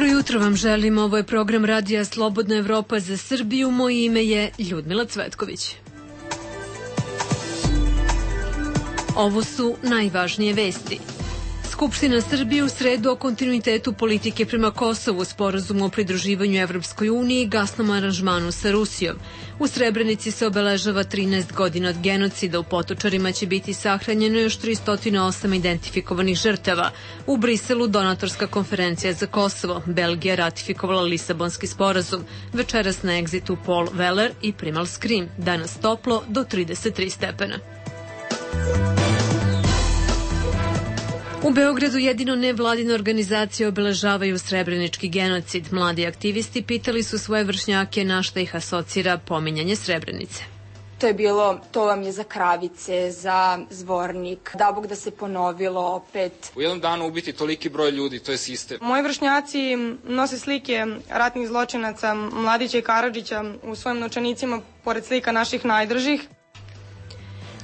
Dobro jutro vam želim, ovo je program Radija Slobodna Evropa za Srbiju, moje ime je Ljudmila Cvetković. Ovo su najvažnije vesti. Skupština Srbije u sredu o kontinuitetu politike prema Kosovu, sporazumu o pridruživanju Evropskoj uniji i gasnom aranžmanu sa Rusijom. U Srebrenici se obeležava 13 godina od genocida, u Potočarima će biti sahranjeno još 308 identifikovanih žrtava. U Briselu donatorska konferencija za Kosovo, Belgija ratifikovala Lisabonski sporazum, večeras na egzitu Paul Weller i Primal Scream, danas toplo do 33 stepena. U Beogradu jedino nevladine organizacije obeležavaju srebrenički genocid. Mladi aktivisti pitali su svoje vršnjake na šta ih asocira pominjanje Srebrenice. To je bilo, to vam je za Kravice, za Zvornik, da Bog da se ponovilo opet. U jednom danu ubiti toliki broj ljudi, to je sistem. Moji vršnjaci nose slike ratnih zločinaca Mladića i Karadžića u svojim novčanicima pored slika naših najdražih.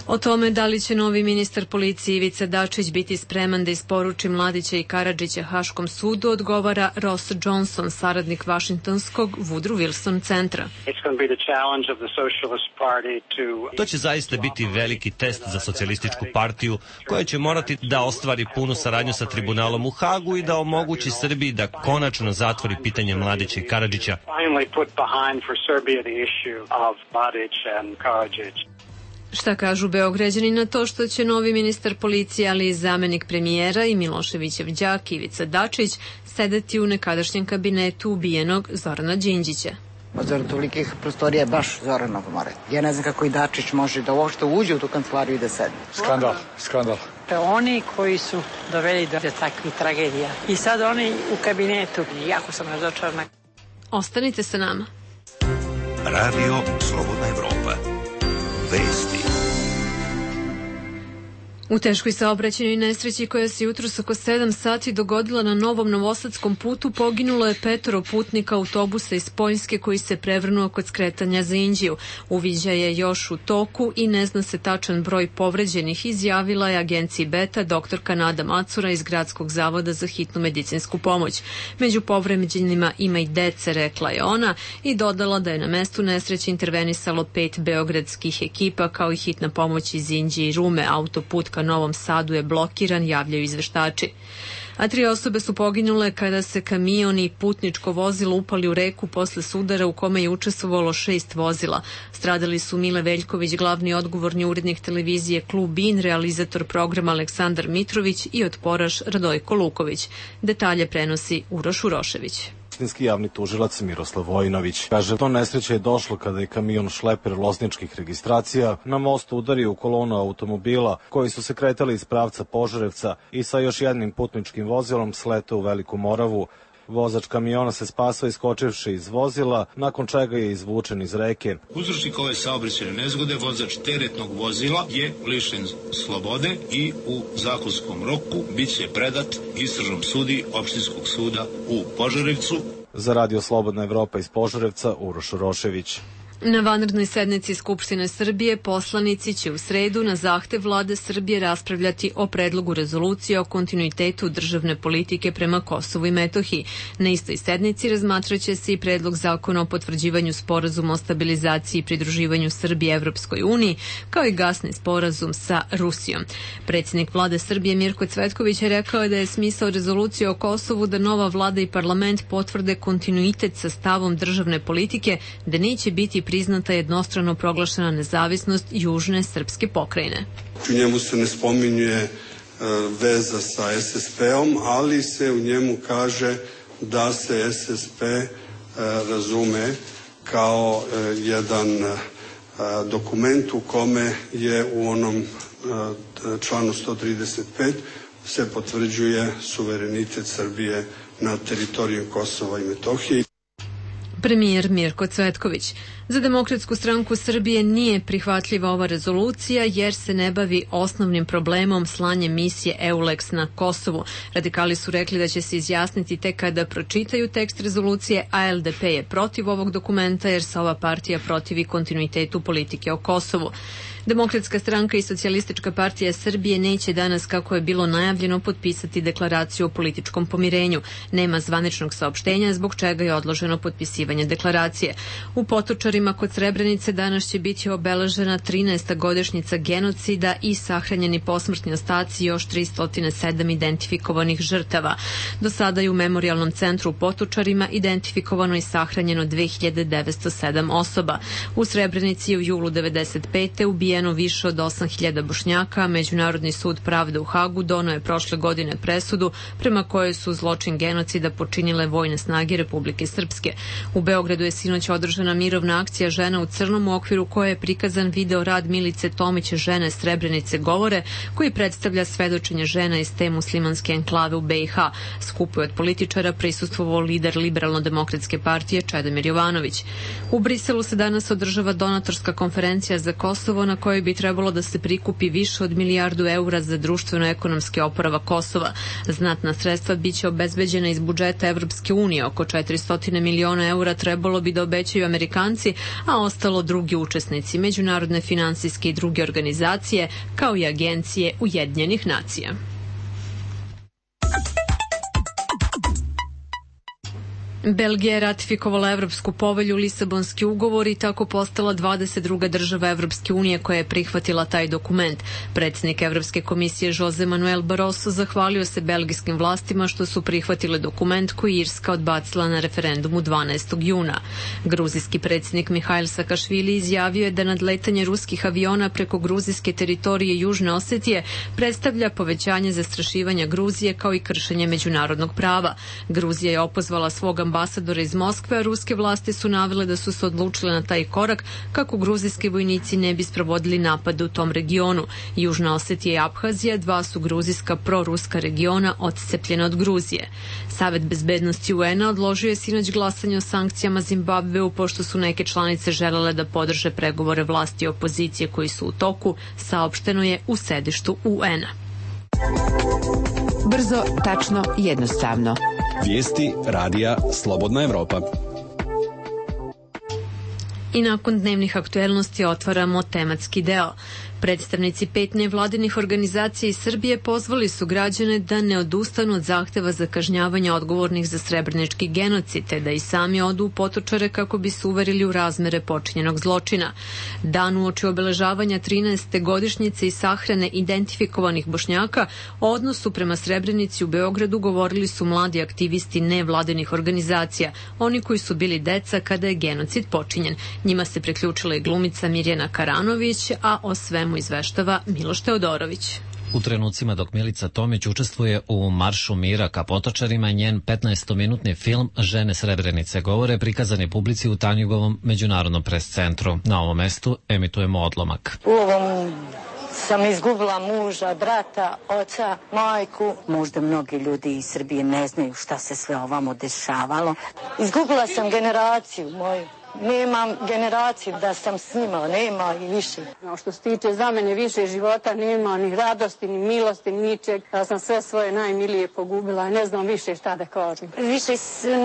O tome da li će novi ministar policije Ivica Dačić biti spreman da isporuči Mladića i Karadžića Haškom sudu, odgovara Ross Johnson, saradnik Vašingtonskog Woodrow Wilson centra. To će zaista biti veliki test za socijalističku partiju, koja će morati da ostvari punu saradnju sa tribunalom u Hagu i da omogući Srbiji da konačno zatvori pitanje Mladića i Karadžića. Šta kažu Beograđani na to što će novi ministar policije, ali i zamenik premijera i Miloševićev đak Ivica Dačić sedeti u nekadašnjem kabinetu ubijenog Zorana Đinđića? Zar tolikih prostorija je baš Zoranov more. Ja ne znam kako i Dačić može da uopšte uđe u tu kancelariju i da sedi. Skandal. Oni koji su doveli do takvih tragedija. I sad oni u kabinetu. Jako sam razočarana. Ostanite sa nama. Radio Slobodna Evropa. Vesti. U teškoj saobraćajnoj nesreći koja se jutros oko 7 sati dogodila na Novom Novosadskom putu poginulo je 5 putnika autobusa iz Poljske koji se prevrnuo kod skretanja za Inđiju. Uviđaj je još u toku i ne zna se tačan broj povređenih, izjavila je agenciji Beta doktorka Nada Macura iz Gradskog zavoda za hitnu medicinsku pomoć. Među povređenima ima i dece, rekla je ona, i dodala da je na mestu nesreće intervenisalo 5 beogradskih ekipa kao i hitna pomoć iz Inđije i Rume. Autoput ka Novom Sadu je blokiran, javljaju izveštači. A 3 osobe su poginule kada se kamion i putničko vozilo upali u reku posle sudara u kome je učestvovalo 6 vozila. Stradali su Mile Veljković, glavni odgovorni urednik televizije Klub In, realizator programa Aleksandar Mitrović i otporaš Radojko Luković. Detalje prenosi Uroš Urošević. Javni tužilac Miroslav Vojinović kaže, to nesreće je došlo kada je kamion šleper lozničkih registracija na mostu udario u kolonu automobila koji su se kretali iz pravca Požarevca i sa još jednim putničkim vozilom sletao u Veliku Moravu. Vozač kamiona se spasao iskočivši iz vozila, nakon čega je izvučen iz reke. Uzročnik ove saobraćajne nezgode, vozač teretnog vozila, je lišen slobode i u zakonskom roku biće predat istražnom sudi Opštinskog suda u Požarevcu. Za Radio Slobodna Evropa iz Požarevca, Uroš Urošević. Na vanrednoj sednici Skupštine Srbije poslanici će u sredu na zahtev Vlade Srbije raspravljati o predlogu rezolucije o kontinuitetu državne politike prema Kosovu i Metohiji. Na istoj sednici razmatraće se i predlog zakona o potvrđivanju sporazuma o stabilizaciji i pridruživanju Srbije Evropskoj uniji, kao i gasni sporazum sa Rusijom. Predsjednik Vlade Srbije Mirko Cvetković je rekao da je smisao rezolucije o Kosovu da nova vlada i parlament potvrde kontinuitet sa stavom državne politike, da neće biti priznata jednostrano proglašena nezavisnost južne srpske pokrajine. U njemu se ne spominje veza sa SSP-om, ali se u njemu kaže da se SSP razume kao jedan dokument u kome je u onom članu 135 se potvrđuje suverenitet Srbije na teritoriju Kosova i Metohije. Premijer Mirko Cvetković. Za Demokratsku stranku Srbije nije prihvatljiva ova rezolucija jer se ne bavi osnovnim problemom slanje misije EULEX na Kosovu. Radikali su rekli da će se izjasniti tek kada pročitaju tekst rezolucije, a LDP je protiv ovog dokumenta jer se ova partija protivi kontinuitetu politike o Kosovu. Demokratska stranka i Socijalistička partija Srbije neće danas, kako je bilo najavljeno, potpisati deklaraciju o političkom pomirenju. Nema zvaničnog saopštenja zbog čega je odloženo potpisivanje deklaracije. U Potočarima kod Srebrenice danas će biti obeležena 13. godišnjica genocida i sahranjeni posmrtni ostaci još 307 identifikovanih žrtava. Do sada je u Memorijalnom centru u Potočarima identifikovano i sahranjeno 2907 osoba. U Srebrenici je u julu 1995. ubijeno više od 8000 Bošnjaka, a Međunarodni sud pravde u Hagu doneo je prošle godine presudu prema kojoj su zločin genocida počinile vojne snage Republike Srpske. U Beogradu je sinoć održana mirovna akcija Žena u crnom, u okviru koje je prikazan video rad Milice Tomić Žene Srebrenice govore, koji predstavlja svedočenje žena iz te muslimanske enklave u BiH. Skupu je od političara prisustvovao lider Liberalno-demokratske partije Čedomir Jovanović. U Briselu se danas održava donatorska konferencija za Kosovo na kojoj bi trebalo da se prikupi više od milijardu eura za društveno-ekonomski oporavak Kosova. Znatna sredstva biće obezbeđena iz budžeta Evropske unije, oko 400 miliona eura trebalo bi da obećaju Amerikanci, a ostalo drugi učesnici, međunarodne finansijske i druge organizacije, kao i agencije Ujedinjenih nacija. Belgija je ratifikovala Evropsku povelju, Lisabonski ugovor i tako postala 22. država Evropske unije koja je prihvatila taj dokument. Predsjednik Evropske komisije Jose Manuel Barroso zahvalio se belgijskim vlastima što su prihvatile dokument koji Irska odbacila na referendumu 12. juna. Gruzijski predsjednik Mihail Sakašvili izjavio je da nadletanje ruskih aviona preko gruzijske teritorije Južne Osetije predstavlja povećanje zastrašivanja Gruzije kao i kršenje međunarodnog prava. Gruzija je opozvala svog ambasadora iz Moskve, a ruske vlasti su navele da su se odlučile na taj korak kako gruzijski vojnici ne bi sprovodili napade u tom regionu. Južna Osetija i Abhazija, dva su gruzijska proruska regiona odcepljena od Gruzije. Savet bezbednosti UN-a odložio je sinoć glasanje o sankcijama Zimbabveu pošto su neke članice želele da podrže pregovore vlasti i opozicije koji su u toku, saopšteno je u sedištu UN-a. Brzo, tačno, jednostavno. Vijesti radija Slobodna Evropa. I nakon dnevnih aktuelnosti otvaramo tematski deo. Predstavnici 5 nevladinih organizacija iz Srbije pozvali su građane da ne odustanu od zahteva za kažnjavanje odgovornih za srebrenički genocid, te da i sami odu u Potočare kako bi se uverili u razmere počinjenog zločina. Dan uoči obeležavanja 13. godišnjice i sahrane identifikovanih Bošnjaka o odnosu prema Srebrenici u Beogradu govorili su mladi aktivisti nevladinih organizacija, oni koji su bili deca kada je genocid počinjen. Njima se priključila i glumica Mirjana Karanović, a o svemu izveštava Miloš Teodorović. U trenucima dok Milica Tomić učestvuje u Maršu mira ka Potočarima, njen 15-minutni film Žene Srebrenice govore prikazan je publici u Tanjugovom međunarodnom pres centru. Na ovom mestu emitujemo odlomak. U ovom sam izgubila muža, brata, oca, majku. Možda mnogi ljudi iz Srbije ne znaju šta se sve ovamo dešavalo. Izgubila sam generaciju moju. Nemam generaciju da sam s njima, nema i više. Što se tiče za mene više života, nema ni radosti, ni milosti, ni ničeg. Ja sam sve svoje najmilije pogubila i ne znam više šta da kažem. Više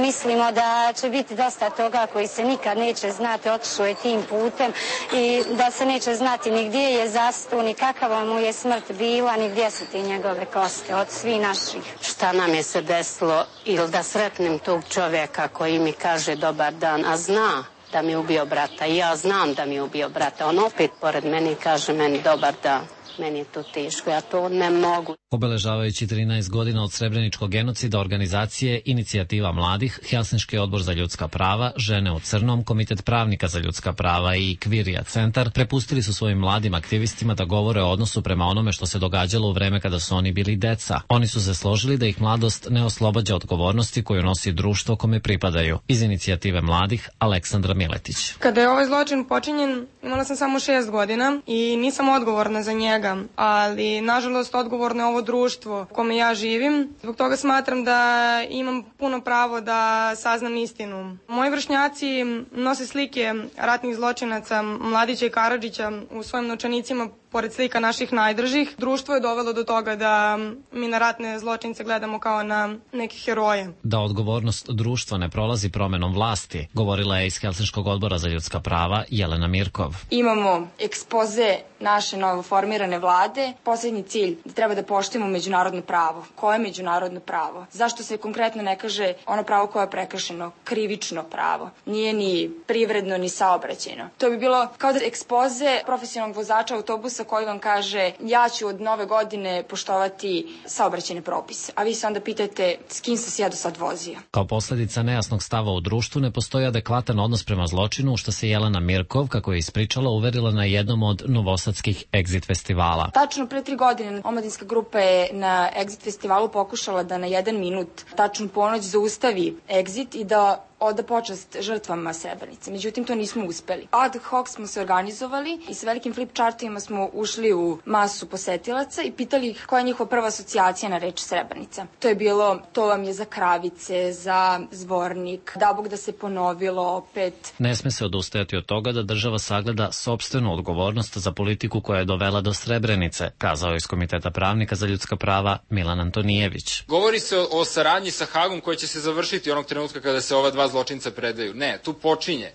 mislimo da će biti dosta toga koji se nikad neće znati, otišao je tim putem i da se neće znati ni gdje je zastao, ni kakava mu je smrt bila, ni gdje su ti njegove koste od svih naših. Šta nam je se desilo ili da sretnem tog čovjeka koji mi kaže dobar dan, a zna da mi je ubio brata i ja znam da mi je ubio brata. On opet pored meni kaže meni dobar dan. Meni je to teško, ja to ne mogu. Obeležavajući 13 godina od srebreničkog genocida organizacije Inicijativa mladih, Helsinški odbor za ljudska prava, Žene u crnom, Komitet pravnika za ljudska prava i Kvirija centar prepustili su svojim mladim aktivistima da govore o odnosu prema onome što se događalo u vreme kada su oni bili deca. Oni su se složili da ih mladost ne oslobađa odgovornosti koju nosi društvo kome pripadaju. Iz Inicijative mladih, Aleksandra Miletić. Kada je ovaj zločin počinjen, imala sam samo 6 godina i nisam odgovorna za njega. čoveka, ali nažalost odgovorno je ovo društvo u kome ja živim. Zbog toga smatram da imam puno pravo da saznam istinu. Moji vršnjaci nose slike ratnih zločinaca Mladića i Karadžića u svojim novčanicima pored slika naših najdržih. Društvo je dovelo do toga da mi na ratne zločince gledamo kao na neke heroje. Da odgovornost društva ne prolazi promenom vlasti, govorila je iz Helsinškog odbora za ljudska prava Jelena Mirkov. Imamo ekspoze naše novoformirane vlade. Poslednji cilj da treba da poštujemo međunarodno pravo. Koje je međunarodno pravo? Zašto se konkretno ne kaže ono pravo koje je prekršeno? Krivično pravo. Nije ni privredno ni saobraćajno. To bi bilo kao da ekspoze profesionalnog vozača autobusa koji vam kaže ja ću od nove godine poštovati saobraćajne propise. A vi se onda pitate s kim sam se ja do sad vozio. Kao posledica nejasnog stava u društvu ne postoji adekvatan odnos prema zločinu, što se Jelena Mirkov, kako je ispričala, uverila na jednom od novosadskih Exit festivala. Tačno pre 3 godine omladinska grupa je na Exit festivalu pokušala da na 1 minut tačnu ponoć zaustavi Exit i da oda počast žrtvama Srebrenice. Međutim, to nismo uspeli. Ad hoc smo se organizovali i sa velikim flip chartovima smo ušli u masu posetilaca i pitali ih koja je njihova prva asocijacija na reč Srebrenica. To je bilo, to vam je za Kravice, za Zvornik, da Bog da se ponovilo opet. Ne sme se odustajati od toga da država sagleda sopstvenu odgovornost za politiku koja je dovela do Srebrenice, kazao je iz Komiteta pravnika za ljudska prava Milan Antonijević. Govori se o saradnji sa Hagom koja će se završiti onog trenutka kada se ova dva zločinca predaju. Ne,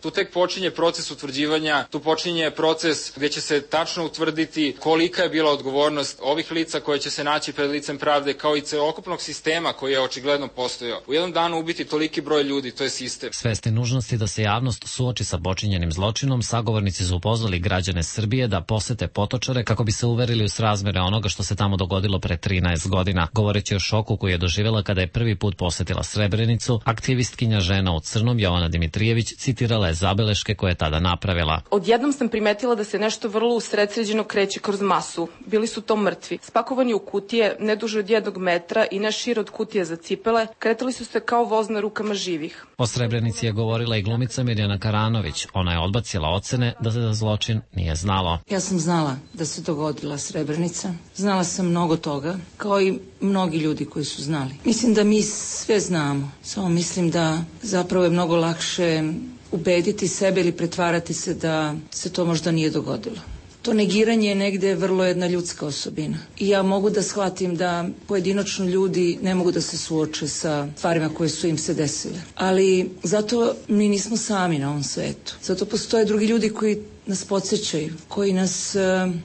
tu tek počinje proces utvrđivanja, tu počinje proces gde će se tačno utvrditi kolika je bila odgovornost ovih lica koje će se naći pred licem pravde, kao i celokupnog sistema koji je očigledno postojao. U jednom danu ubiti toliki broj ljudi, to je sistem. Svesni nužnosti da se javnost suoči sa počinjenim zločinom, sagovornici su pozvali građane Srbije da posete Potočare kako bi se uverili u srazmere onoga što se tamo dogodilo pre 13 godina. Govoreći o šoku koji je doživjela kada je prvi put posetila Srebrenicu, aktivistkinja Žena u crnom Jovana Dimitrijević citirala je zabeleške koje je tada napravila. Odjednom sam primetila da se nešto vrlo usredsređeno kreće kroz masu. Bili su to mrtvi. Spakovani u kutije, ne duže od 1 metra i ne šire od kutije za cipele, kretali su se kao voz na rukama živih. O Srebrenici je govorila i glumica Mirjana Karanović. Ona je odbacila ocene da se za zločin nije znalo. Ja sam znala da se dogodila Srebrenica. Znala sam mnogo toga, kao i mnogi ljudi koji su znali. Mislim da mi sve znamo, samo mislim da zapravo je mnogo lakše ubediti sebe ili pretvarati se da se to možda nije dogodilo. To negiranje je negde vrlo jedna ljudska osobina. I ja mogu da shvatim da pojedinačno ljudi ne mogu da se suoče sa stvarima koje su im se desile. Ali zato mi nismo sami na ovom svetu. Zato postoje drugi ljudi koji nas podsjećaju, koji nas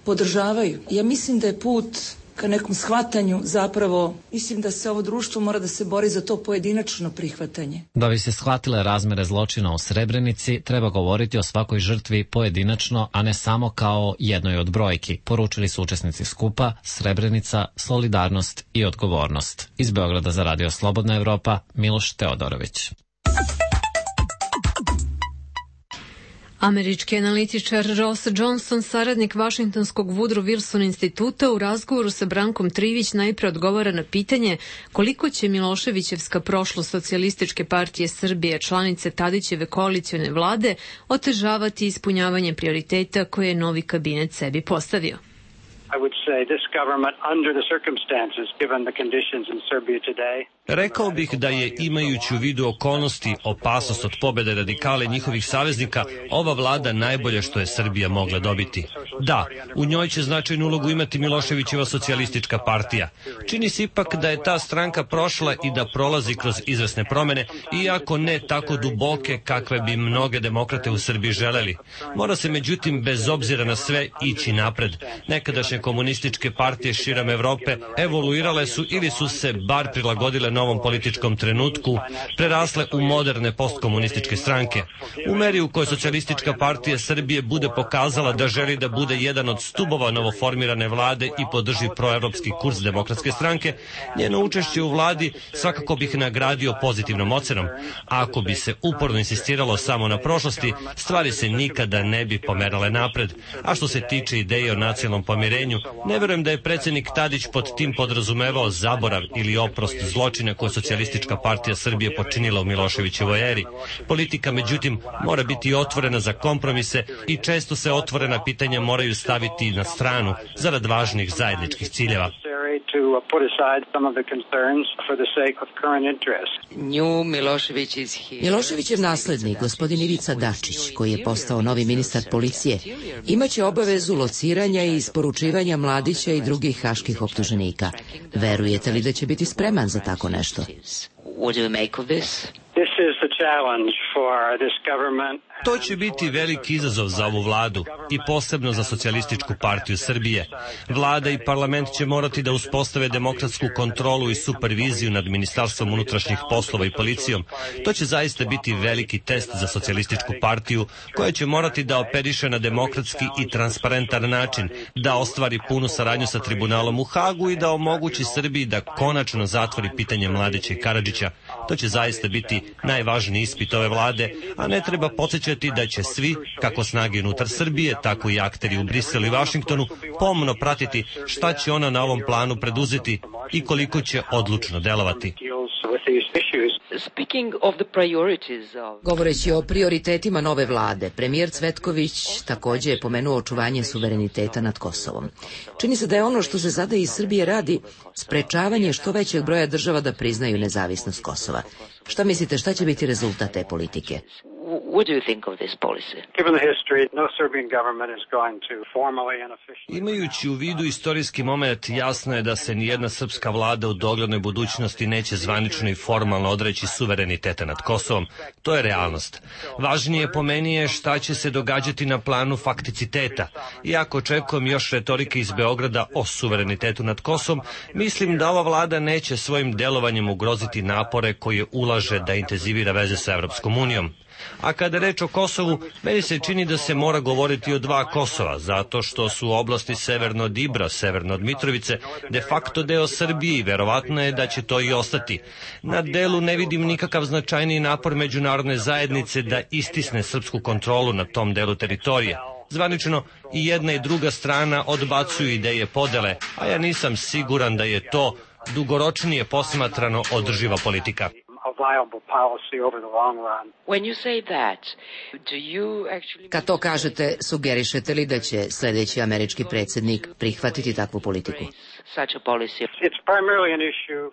podržavaju. Ja mislim da je put ka nekom shvatanju, zapravo mislim da se ovo društvo mora da se bori za to pojedinačno prihvatanje. Da bi se shvatile razmere zločina u Srebrenici, treba govoriti o svakoj žrtvi pojedinačno, a ne samo kao jednoj od brojki, poručili su učesnici skupa Srebrenica, solidarnost i odgovornost. Iz Beograda za Radio Slobodna Evropa, Miloš Teodorović. Američki analitičar Ross Johnson, saradnik Vašingtonskog Woodrow Wilson instituta, u razgovoru sa Brankom Trivić najpre odgovara na pitanje koliko će Miloševićevska prošlost Socijalističke partije Srbije, članice Tadićeve koalicione vlade, otežavati ispunjavanje prioriteta koje je novi kabinet sebi postavio. I would say this government, under the circumstances, given the conditions in Serbia today. Rekao bih da je, imajući u vidu okolnosti, opasnost od pobjede radikale njihovih saveznika, ova vlada najbolje što je Srbija mogla dobiti. Da, u njoj će značajnu ulogu imati Miloševićeva socijalistička partija. Čini se ipak da je ta stranka prošla i da prolazi kroz izvesne promene, iako ne tako duboke kakve bi mnoge demokrate u Srbiji želeli. Mora se međutim, bez obzira na sve, ići napred. Nekadašnje komunističke partije širom Evrope evoluirale su ili su se bar prilagodile novom političkom trenutku, prerasle u moderne postkomunističke stranke. U meri u kojoj Socijalistička partija Srbije bude pokazala da želi da bude jedan od stubova novoformirane vlade i podrži proevropski kurs Demokratske stranke, njeno učešće u vladi svakako bih nagradio pozitivnom ocenom. A ako bi se uporno insistiralo samo na prošlosti, stvari se nikada ne bi pomerale napred. A što se tiče ideje o nacionalnom pomirenju, ne verujem da je predsjednik Tadić pod tim podrazumevao zaborav ili oprost zločine koje Socijalistička partija Srbije počinila u Miloševićevoj eri. Politika, međutim, mora biti otvorena za kompromise i često se otvorena pitanja moraju staviti na stranu zarad važnih zajedničkih ciljeva. Miloševićev naslednik, gospodin Ivica Dačić, koji je postao novi ministar policije, imaće obavezu lociranja i isporučivanja Mladića i drugih haških optuženika. Verujete li da će biti spreman za tako nešto? To će biti veliki izazov za ovu vladu i posebno za Socijalističku partiju Srbije. Vlada i parlament će morati da uspostave demokratsku kontrolu i superviziju nad Ministarstvom unutrašnjih poslova i policijom. To će zaista biti veliki test za Socijalističku partiju koja će morati da operiše na demokratski i transparentan način, da ostvari punu saradnju sa tribunalom u Hagu i da omogući Srbiji da konačno zatvori pitanje Mladića i Karadžića. To će zaista biti najvažniji ispit ove vlade, a ne treba podsjećati da će svi, kako snage unutar Srbije, tako i akteri u Briselu i Vašingtonu, pomno pratiti šta će ona na ovom planu preduzeti i koliko će odlučno delovati. Govoreći o prioritetima nove vlade, premijer Cvetković takođe je pomenuo očuvanje suvereniteta nad Kosovom. Čini se da je ono što se sada iz Srbije radi sprečavanje što većeg broja država da priznaju nezavisnost Kosova. Šta mislite, šta će biti rezultat te politike? Imajući u vidu istorijski moment, jasno je da se nijedna srpska vlada u doglednoj budućnosti neće zvanično i formalno odreći suvereniteta nad Kosovom. To je realnost. Važnije po meni je šta će se događati na planu fakticiteta. Iako očekujem još retorike iz Beograda o suverenitetu nad Kosovom, mislim da ova vlada neće svojim delovanjem ugroziti napore koje ulaže da intenzivira veze sa Evropskom unijom. A kada je reč o Kosovu, meni se čini da se mora govoriti o dva Kosova, zato što su oblasti severno od Ibra, severno od Mitrovice, de facto deo Srbije i verovatno je da će to i ostati. Na delu ne vidim nikakav značajniji napor međunarodne zajednice da istisne srpsku kontrolu na tom delu teritorije. Zvanično i jedna i druga strana odbacuju ideje podele, a ja nisam siguran da je to dugoročnije posmatrano održiva politika. Kad to kažete, sugerišete li da će sledeći američki predsjednik prihvatiti takvu politiku?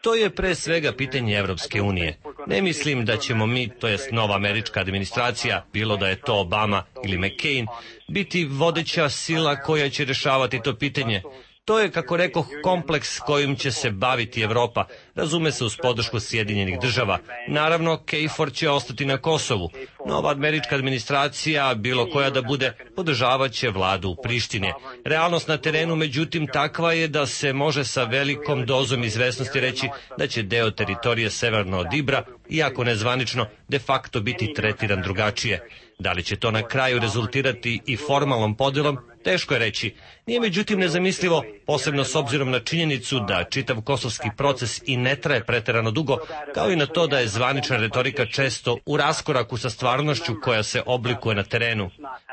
To je pre svega pitanje Evropske unije. Ne mislim da ćemo mi, to jest nova američka administracija, bilo da je to Obama ili McCain, biti vodeća sila koja će rešavati to pitanje. To je, kako rekoh, kompleks kojim će se baviti Evropa, razume se uz podršku Sjedinjenih država. Naravno, KFOR će ostati na Kosovu. Nova američka administracija, bilo koja da bude, podržavaće vladu u Prištine. Realnost na terenu, međutim, takva je da se može sa velikom dozom izvesnosti reći da će deo teritorije severno od Ibra, iako nezvanično, de facto biti tretiran drugačije. Da li će to na kraju rezultirati i formalnom podelom, teško je reći. Nije međutim nezamislivo, posebno s obzirom na činjenicu da čitav kosovski proces i ne traje preterano dugo, kao i na to da je zvanična retorika često u raskoraku sa stvarnošću koja se oblikuje na terenu.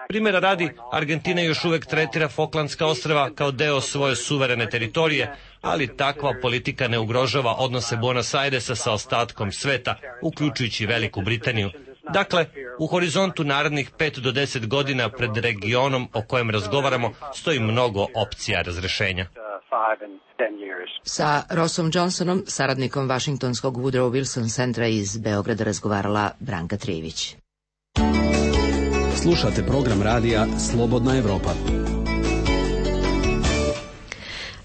Primjera radi, Argentina još uvek tretira Falklandska ostrva kao deo svoje suverene teritorije, ali takva politika ne ugrožava odnose Buenos Airesa sa ostatkom sveta, uključujući Veliku Britaniju. Dakle, u horizontu narednih 5 do 10 godina pred regionom o kojem razgovaramo stoji mnogo opcija razrešenja. Sa Rossom Johnsonom, saradnikom Vašingtonskog Woodrow Wilson centra iz Beograda, razgovarala Branka Trijević. Slušate program radija Slobodna Evropa.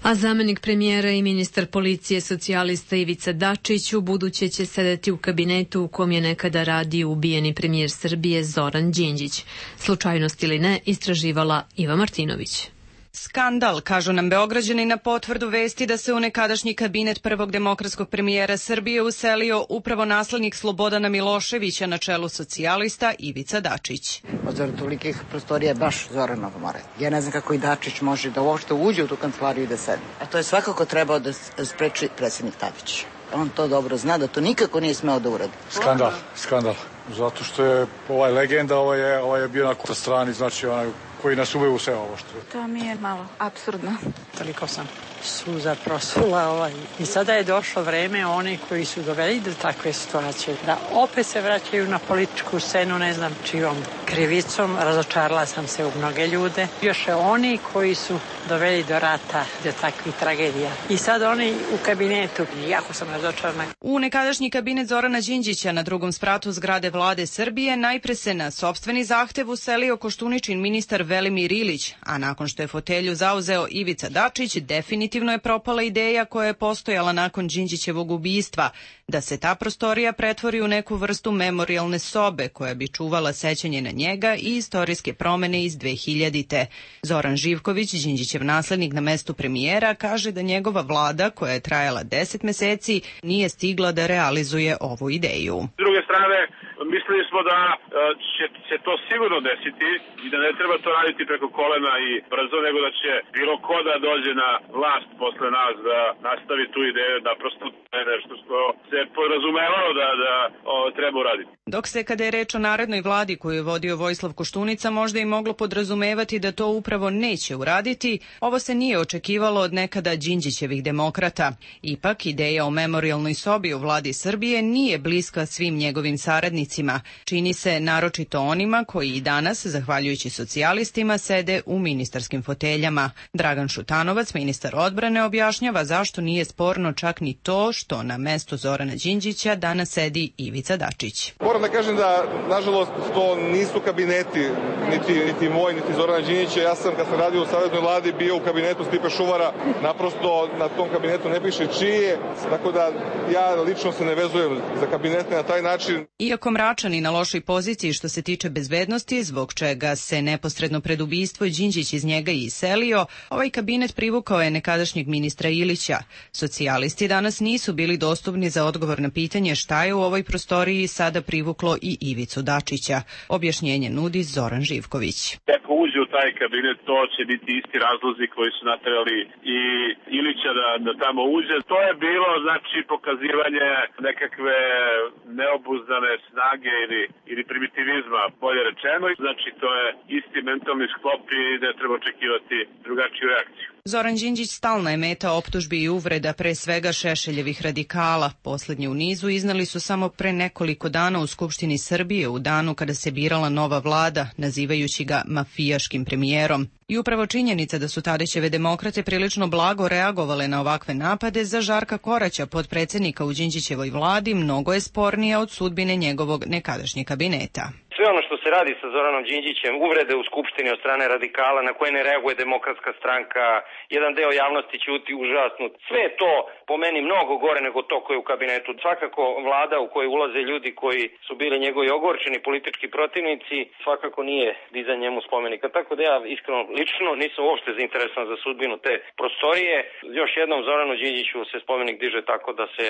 A zamenik premijera i ministar policije socijalista Ivica Dačić u buduće će sedeti u kabinetu u kom je nekada radio ubijeni premijer Srbije Zoran Đinđić. Slučajnost ili ne, istraživala Iva Martinović. Skandal, kažu nam Beograđani na potvrdu vesti da se u nekadašnji kabinet prvog demokratskog premijera Srbije uselio upravo naslednik Slobodana Miloševića na čelu socijalista Ivica Dačić. Od tolikih prostorija baš Zoranov more. Ja ne znam kako i Dačić može da uopšte uđe u tu kancelariju i da sedi. A to je svakako trebao da spreči predsjednik Tadić. On to dobro zna, da to nikako nije smeo da uradi. Skandal. Zato što je legenda, ovaj je bio na strani, znači onaj koji nas uveo u sve ovo što je. To mi je malo apsurdno. Toliko sam suza prosula i sada je došlo vreme oni koji su doveli do takve situacije da opet se vraćaju na političku scenu, ne znam čijom krivicom, razočarala sam se u mnoge ljude. Još oni koji su doveli do rata, do takvih tragedija. I sad oni u kabinetu, jako sam razočarana. U nekadašnji kabinet Zorana Đinđića na drugom spratu zgrade vlade Srbije najpre se na sopstveni zahtev uselio Koštuničin ministar Velimir Ilić, a nakon što je fotelju zauzeo Ivica Dačić, definitivno je propala ideja koja je postojala nakon Đinđićevog ubistva, da se ta prostorija pretvori u neku vrstu memorijalne sobe koja bi čuvala sećanje na njega i istorijske promene iz 2000-te. Zoran Živković, Đinđićev naslednik na mestu premijera, kaže da njegova vlada, koja je trajala 10 meseci, nije stigla da realizuje ovu ideju. S druge strane, mislili smo da će se to sigurno desiti i da ne treba to raditi preko kolena i brzo, nego da će bilo ko da dođe na vlast posle nas da nastavi tu ideju, da prosto je nešto što se podrazumevalo da treba uraditi. Dok se, kada je reč o narednoj vladi koju je vodio Vojislav Koštunica, možda i moglo podrazumevati da to upravo neće uraditi, ovo se nije očekivalo od nekada Đinđićevih demokrata. Ipak, ideja o memorijalnoj sobi u vladi Srbije nije bliska svim njegovim saradnicima. Čini se naročito onima koji i danas, zahvaljujući socijalistima, sede u ministarskim foteljama. Dragan Šutanovac, ministar odbrane, objašnjava zašto nije sporno čak ni to što na mesto Zorana Đinđića danas sedi Ivica Dačić. Moram da kažem da, nažalost, to nisu kabineti, niti moj, niti Zorana Đinđića. Ja sam, kad sam radio u Saveznoj vladi, bio u kabinetu Stipe Šuvara. Naprosto, na tom kabinetu ne piše čije, tako da ja lično se ne vezujem za kabinete na taj način. Iako Mračani na lošoj poziciji što se tiče bezbednosti, zbog čega se neposredno pred ubistvo Đinđić iz njega i iselio, ovaj kabinet privukao je nekadašnjeg ministra Ilića. Socijalisti danas nisu bili dostupni za odgovor na pitanje šta je u ovoj prostoriji sada privuklo i Ivicu Dačića. Objašnjenje nudi Zoran Živković. Ako uđe u taj kabinet, to će biti isti razlozi koji su naterali i Ilića da tamo uđe. To je bilo, znači, pokazivanje nekakve neobuzdane snage ili primitivizma, bolje rečeno. Znači, to je isti mentalni sklop i ne treba očekivati drugačiju reakciju. Zoran Đinđić stalna je meta optužbi i uvreda, pre svega Šešeljevih radikala. Poslednje u nizu iznali su samo pre nekoliko dana u Skupštini Srbije, u danu kada se birala nova vlada, nazivajući ga mafijaškim premijerom. I upravo činjenica da su Tadićeve demokrate prilično blago reagovale na ovakve napade za Žarka Koraća, podpredsednika u Đinđićevoj vladi, mnogo je spornija od sudbine njegovog nekadašnjeg kabineta. Sve ono što se radi sa Zoranom Đinđićem, uvrede u Skupštini od strane radikala na koje ne reaguje Demokratska stranka, jedan deo javnosti ćuti užasnut. Sve je to po meni mnogo gore nego to koje je u kabinetu. Svakako vlada u kojoj ulaze ljudi koji su bili njegovi ogorčeni politički protivnici, svakako nije dizan njemu spomenika. Tako da ja iskreno lično nisam uopšte zainteresovan za sudbinu te prostorije. Još jednom Zoranu Đinđiću se spomenik diže tako da se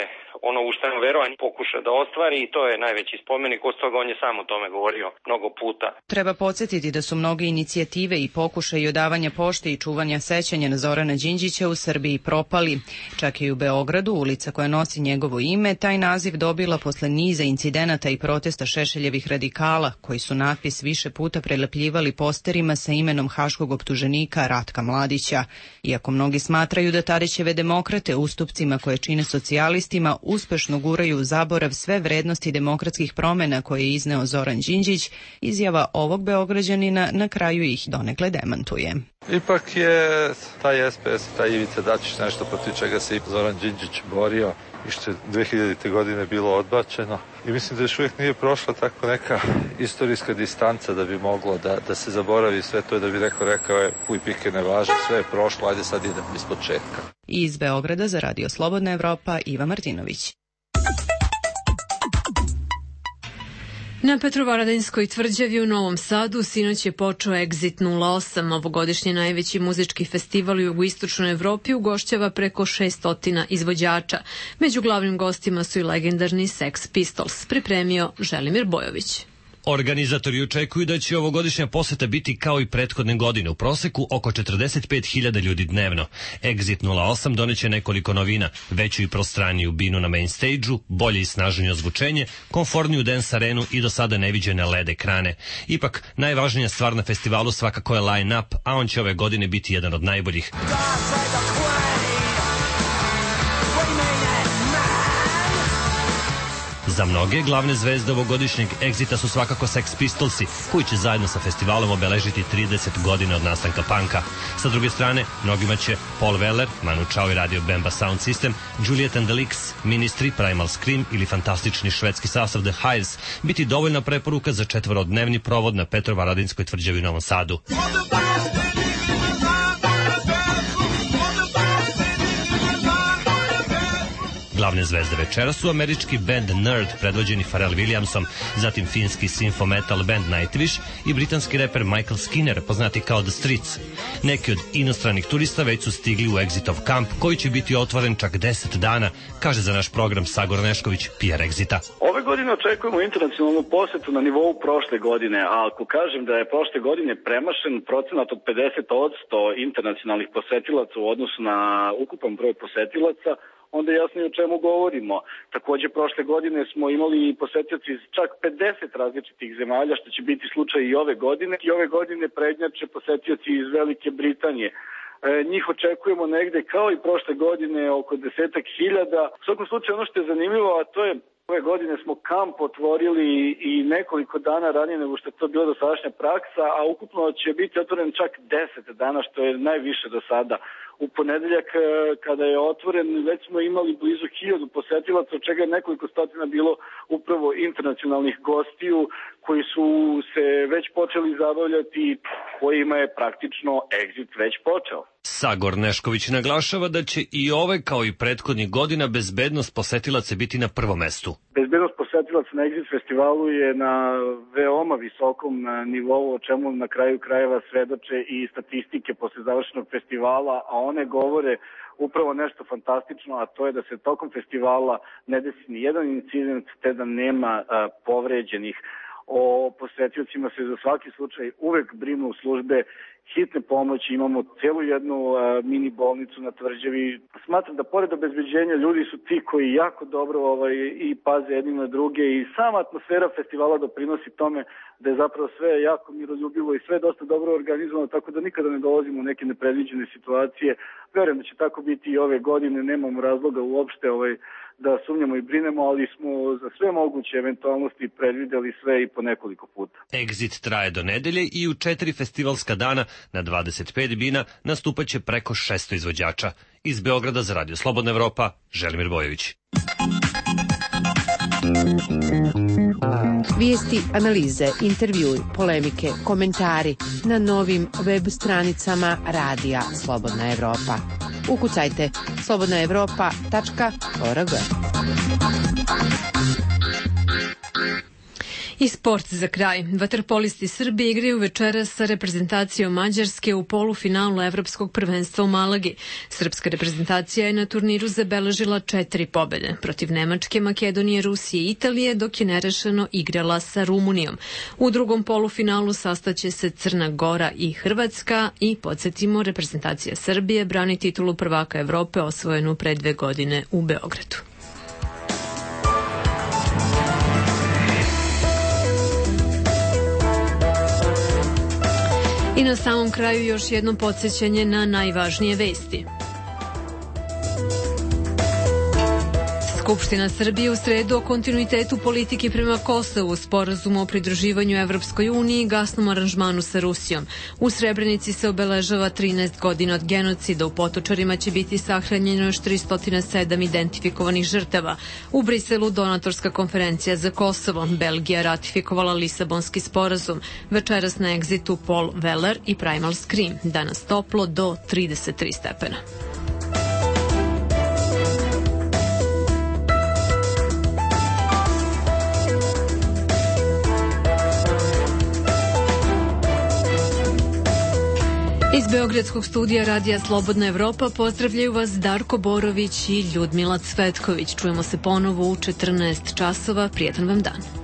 ono u šta je verovanje pokuša da ostvari i to je najveći spomenik. Od toga on je sam o tome govorio mnogo puta. Treba podsjetiti da su mnoge inicijative i pokušaji odavanja pošte i čuvanja sećanja na Zorana Đinđića u Srbiji propali. Čak i u Beogradu, ulica koja nosi njegovo ime, taj naziv dobila posle niza incidenata i protesta Šešeljevih radikala, koji su natpis više puta prelepljivali posterima sa imenom haškog optuženika Ratka Mladića. Iako mnogi smatraju da Tadićeve demokrate ustupcima koje čine socijalistima uspešno guraju u zaborav sve vrednosti demokratskih promena koje je izneo Zoran Đinđić, izjava ovog Beograđanina na kraju ih donekle demantuje. Ipak je taj SPS, taj Ivica Dačić nešto protiv čega se i Zoran Đinđić borio i što je 2000. godine bilo odbačeno. I mislim da još uvijek nije prošla tako neka istorijska distanca da bi moglo da se zaboravi sve to i da bi neko rekao je puj pike ne važe, sve je prošlo, ajde sad idem iz početka. Iz Beograda za Radio Slobodna Evropa, Iva Martinović. Na Petrovaradinskoj tvrđavi u Novom Sadu sinoć je počeo Exit 08, ovogodišnji najveći muzički festival u jugoistočnoj Evropi, ugošćava preko 600 izvođača. Među glavnim gostima su i legendarni Sex Pistols, pripremio Želimir Bojović. Organizatori očekuju da će ovogodišnja poseta biti kao i prethodne godine, u proseku oko 45.000 ljudi dnevno. Exit 08 doneće nekoliko novina, veću i prostraniju binu na main stage-u, bolje i snažnije ozvučenje, komfortniju dance arenu i do sada neviđene LED ekrane. Ipak, najvažnija stvar na festivalu svakako je line-up, a on će ove godine biti jedan od najboljih. Za mnoge glavne zvezde ovogodišnjeg Exita su svakako Sex Pistolsi, koji će zajedno sa festivalom obeležiti 30 godina od nastanka panka. Sa druge strane, mnogima će Paul Weller, Manu Chao i Radio Bemba Sound System, Juliet and the Licks, Ministry, Primal Scream ili fantastični švedski sastav The Hives biti dovoljna preporuka za četvorodnevni provod na Petrovaradinskoj tvrđavi u Novom Sadu. Glavne zvezde večera su američki band Nerd predvođeni Pharrell Williamsom, zatim finski synth metal band Nightwish i britanski reper Michael Skinner, poznati kao The Streets. Neki od inostranih turista već su stigli u Exitov kamp, koji će biti otvoren čak 10 dana, kaže za naš program Sagor Nešković, PR Exita. Ove godine očekujemo internacionalnu posetu na nivou prošle godine, a ako kažem da je prošle godine premašen procenat od 50% internacionalnih posetilaca u odnosu na ukupan broj posetilaca, onda je jasno i o čemu govorimo. Takođe, prošle godine smo imali posetioci iz čak 50 različitih zemalja, što će biti slučaj i ove godine. I ove godine prednjače posetioci iz Velike Britanije. Njih očekujemo negde kao i prošle godine oko 10.000. U svakom slučaju ono što je zanimljivo, a to je ove godine smo kamp otvorili i nekoliko dana ranije nego što je to bila dosadašnja praksa, a ukupno će biti otvoren čak 10 dana, što je najviše do sada. U ponedeljak kada je otvoren već smo imali blizu 1000 posetilaca, od čega je nekoliko stotina bilo upravo internacionalnih gostiju koji su se već počeli zabavljati, kojima je praktično Exit već počeo. Sagor Nešković naglašava da će i ove kao i prethodnih godina bezbednost posetilaca biti na prvom mestu. Bezbednost posetilaca na Exit festivalu je na veoma visokom nivou, o čemu na kraju krajeva svedoče i statistike posle završenog festivala, a one govore upravo nešto fantastično, a to je da se tokom festivala ne desi ni jedan incident, te da nema povređenih. O posetiocima se za svaki slučaj uvek brinu službe hitne pomoći, imamo celu jednu mini bolnicu na tvrđavi. Smatram da pored obezbeđenja ljudi su ti koji jako dobro i paze jedni na druge i sama atmosfera festivala doprinosi tome da je zapravo sve jako miroljubivo i sve dosta dobro organizovano, tako da nikada ne dolazimo u neke nepredviđene situacije. Verujem da će tako biti i ove godine, nemamo razloga uopšte da sumnjamo i brinemo, ali smo za sve moguće eventualnosti predvideli sve i po nekoliko puta. Exit traje do nedelje i u 4 festivalska dana na 25 bina nastupaće preko 600 izvođača. Iz Beograda za Radio Slobodna Evropa, Želimir Bojović. Vijesti, analize, intervjui, polemike, komentari na novim web stranicama Radija Slobodna Evropa. Ukucajte slobodnaevropa.org. I sport za kraj. Vaterpolisti Srbije igraju večeras sa reprezentacijom Mađarske u polufinalu Evropskog prvenstva u Malagi. Srpska reprezentacija je na turniru zabeležila 4 pobede protiv Nemačke, Makedonije, Rusije i Italije, dok je nerešeno igrala sa Rumunijom. U drugom polufinalu sastaće se Crna Gora i Hrvatska i, podsjetimo, reprezentacija Srbije brani titulu prvaka Evrope osvojenu pre 2 godine u Beogradu. I na samom kraju još jedno podsjećanje na najvažnije vesti. Skupština Srbije u sredu o kontinuitetu politike prema Kosovu, sporazumu o pridruživanju Evropskoj uniji i gasnom aranžmanu sa Rusijom. U Srebrenici se obeležava 13 godina od genocida. U Potočarima će biti sahranjeno još 307 identifikovanih žrtava. U Briselu donatorska konferencija za Kosovo. Belgija ratifikovala Lisabonski sporazum. Večeras na Exitu Paul Weller i Primal Scream. Danas toplo do 33 stepena. Iz Beogradskog studija Radija Slobodna Evropa pozdravljaju vas Darko Borović i Ljudmila Cvetković. Čujemo se ponovo u 14 časova. Prijetan vam dan.